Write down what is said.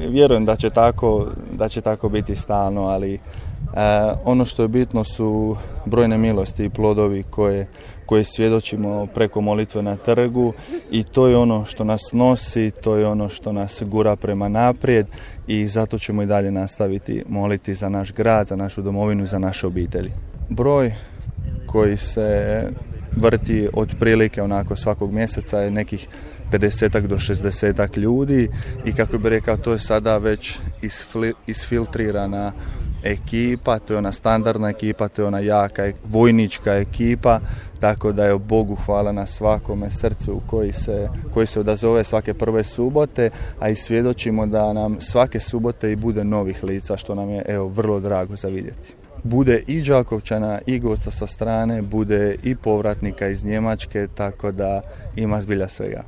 vjerujem da će tako biti stalno, ali ono što je bitno su brojne milosti i plodovi koje svjedočimo preko molitve na trgu i to je ono što nas nosi, to je ono što nas gura prema naprijed i zato ćemo i dalje nastaviti moliti za naš grad, za našu domovinu i za naše obitelji. Broj koji se vrti otprilike onako svakog mjeseca je nekih 50 do 60 ljudi i kako bi rekao, to je sada već isfiltrirana ekipa, to je ona standardna ekipa, to je ona jaka vojnička ekipa, tako da je Bogu hvala na svakome srcu koji se odazove svake prve subote, a i svjedočimo da nam svake subote i bude novih lica, što nam je vrlo drago za vidjeti. Bude i Đakovčana i gosta sa strane, bude i povratnika iz Njemačke, tako da ima zbilja svega.